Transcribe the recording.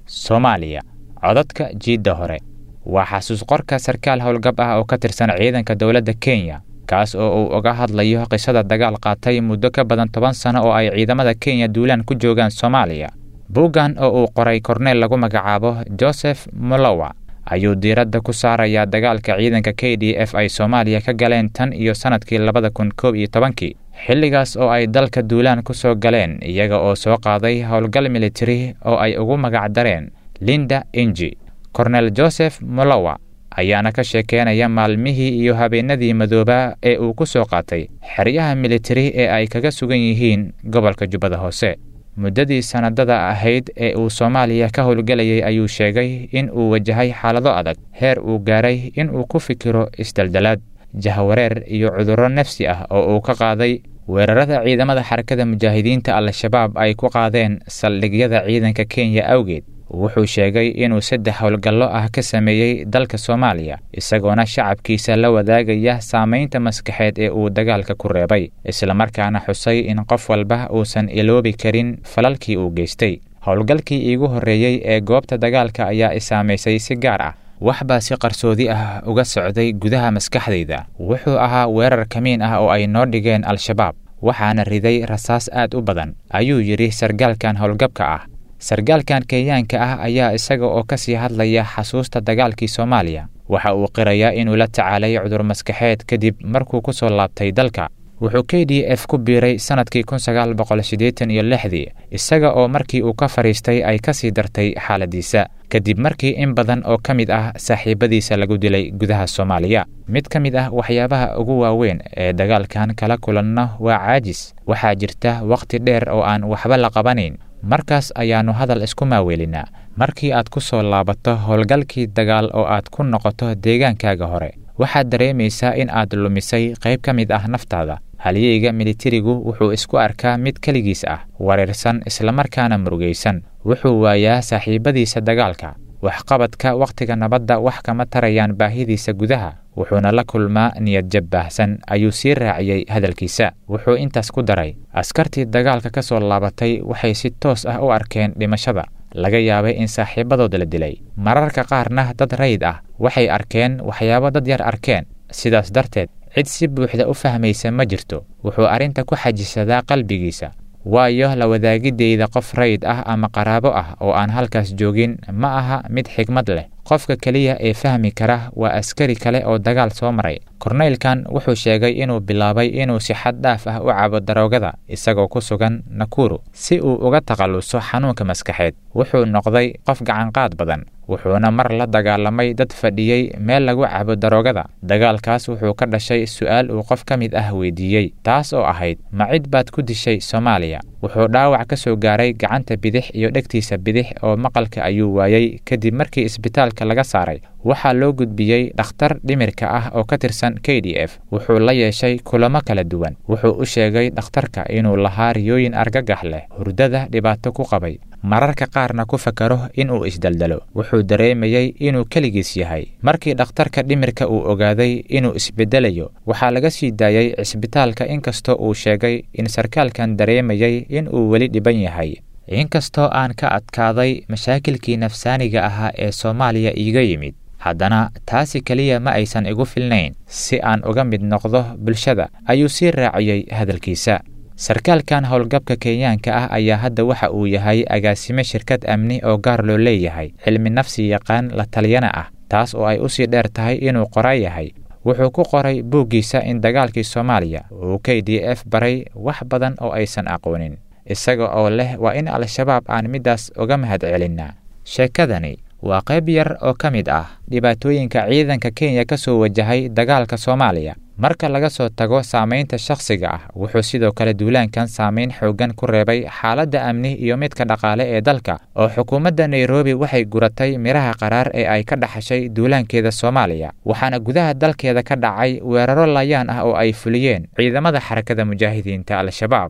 Soomaaliya, codadka jiidda hore. Waa xasuus qorka sarkaal howlgab ah oo ka tirsan ciidanka dowladda Kenya, kaas oo uu uga hadlayo qisada dagaal qaatay muddo ka badan 10 sano oo ay ciidamada Kenya duulaan ku joogaan Soomaaliya. Buuggan oo uu qoray korneel lagu magacaabo Joseph Molowa ayuu diiradda ku saarayaa dagaalka ciidanka KDF ay Soomaaliya ka galeen tan iyo sanadkii 2011-kii, xilligaas oo ay dalka duulaan ku soo galeen iyaga oo soo qaaday howlgal militari oo ay ugu magac dareen Linda Inji. Kornel Joseph Molowa ayaana ka sheekeynaya maalmihii iyo habeenadii madoobaa ee uu ku soo qaatay xeryaha militari ee ay kaga sugan yihiin gobolka Jubbada Hoose. Muddadii sanadada ahayd ee uu Soomaaliya ka howlgelayay ayuu sheegay in uu wajahay xaalado adag, heer uu gaaray in uu ku fikiro isdaldalaad, jahwareer iyo cudurro nafsi ah oo uu ka qaaday weerarada ciidamada Xarakada Mujaahidiinta Al-Shabaab ay ku qaadeen saldhigyada ciidanka Kenya awgeed. Wuxuu sheegay inuu 3 howlgallo ah ka sameeyey dalka Soomaaliya, isagoona shacabkiisa la wadaagaya saamaynta maskaxeed ee uu dagaalka ku reebay, islamarkaana xusay in qof walba uusan iloobi karin falalkii uu geystay. Howlgalkii iigu horreeyey ee goobta dagaalka ayaa i saamaysay si gaar ah. Wax baa si qarsoodi ah uga socday gudaha maskaxdayda. Wuxuu ahaa weerar kamiin ah oo ay noo dhigeen Al-Shabaab, waxaana riday rasaas aad u badan, ayuu yidhi sargaalkan howlgabka ah. Sargaalkan Kenyaanka ah ayaa isaga oo ka sii hadlaya xasuusta dagaalkii Soomaaliya, waxa uu qirayaa inuu la tacaalay cudur maskaxeed kadib markuu ku soo laabtay dalka. Wuxuu KDF ku biiray sanadkii 1986-dii, isaga oo markii uu ka fadhiistay ay ka sii dartay xaaladiisa, kadib markii in badan oo ka mid ah saaxiibadiisa lagu dilay gudaha Soomaaliya. Mid ka mid ah waxyaabaha ugu waaweyn ee dagaalkan kala kulanno waa caajis. Waxaa jirta wakhti dheer oo aan waxba la qabanayn, markaas ayaannu hadal isku maaweelinaa. Markii aad ku soo laabato howlgalkii dagaal oo aad ku noqoto deegaankaaga hore, waxaad dareemaysaa in aad lumisay qayb ka mid ah naftaada. Halyeyga militarigu wuxuu isku arkaa mid keligiis ah, wareersan, islamarkaana murugaysan. Wuxuu waayaa saaxiibadiisa dagaalka. Waxqabadka wakhtiga nabadda wax kama tarayaan baahidiisa gudaha, wuxuuna la kulmaa niyadjab baahsan, ayuu sii raaciyey hadalkiisa. Wuxuu intaas ku daray, askartii dagaalka ka soo laabatay waxay si toos ah u arkeen dhimashada, laga yaabay in saaxiibadood la dilay. Mararka qaarna dad rayid ah waxay arkeen waxyaabo dad yar arkeen, sidaas darteed cid si buuxda u fahmaysa ma jirto. Wuxuu arrinta ku xajisadaa qalbigiisa, waayo la wadaagidayda qof rayid ah ama qaraabo ah oo aan halkaas joogin ma aha mid xigmad leh. Qofka keliya ee fahmi kara waa askari kale oo dagaal soo maray. Korneylkan wuxuu sheegay inuu bilaabay inuu si xad dhaaf ah u cabo daroogada isagoo ku sugan Nakuru si uu uga takhaluso xanuunka maskaxeed. Wuxuu noqday qof gacanqaad badan, wuxuuna mar la dagaalamay dad fadhiyey meel lagu cabo daroogada. Dagaalkaas wuxuu ka dhashay su'aal uu qof ka mid ah weydiiyey, taas oo ahayd, ma cid baad ku dishay Soomaaliya? Wuxuu dhaawac ka soo gaaray gacanta bidix iyo dhegtiisa bidix oo maqalka ayuu waayey kadib markii isbitaalka laga saaray. Waxaa loo gudbiyey dhakhtar dhimirka ah oo ka tirsan KDF. Wuxuu la yeeshay kulamo kala duwan. Wuxuu u sheegay dhakhtarka inuu lahaa riyooyin argagax leh, hurdada dhibaato ku qabay, mararka qaarna ku fakaro inuu isdaldalo. Wuxuu dareemayey inuu keligiis yahay. Markii dhakhtarka dhimirka uu ogaaday inuu isbedelayo, waxaa laga sii daayey cisbitaalka, inkastoo uu sheegay in sarkaalkan dareemayey in uu weli dhiban yahay. Inkastoo aan ka adkaaday mashaakilkii nafsaaniga ahaa ee Soomaaliya iiga yimid, haddana taasi keliya ma aysan igu filnayn si aan uga mid noqdo bulshada, ayuu sii raaciyey hadalkiisa. Sarkaalkan howlgabka Kenyaanka ah ayaa hadda waxa uu yahay agaasime shirkad amni oo gaar loo leeyahay, cilmi nafsi yaqaan la taliyana ah, taas oo ay usii dheer tahay inuu qoraa yahay. Wuxuu ku qoray buuggiisa in dagaalkii Soomaaliya uu KDF baray wax badan oo aysan aqoonin, isaga oo leh waa in Al-Shabaab aan middaas uga mahad celinnaa. Sheekadani waa qayb yar oo ka mid ah dhibaatooyinka ciidanka Kenya ka soo wajahay dagaalka Soomaaliya. Marka laga soo tago saamaynta shakhsiga ah, wuxuu sidoo kale duulaankan saamayn xooggan ku reebay xaaladda amni iyo midka dhaqaale ee dalka, oo xukuumadda Nairobi waxay guratay miraha qaraar ee ay ka dhaxashay duulaankeeda Soomaaliya, waxaana gudaha dalkeeda ka dhacay weeraro laayaan ah oo ay fuliyeen ciidamada Xarakada Mujaahidiinta Al-Shabaab.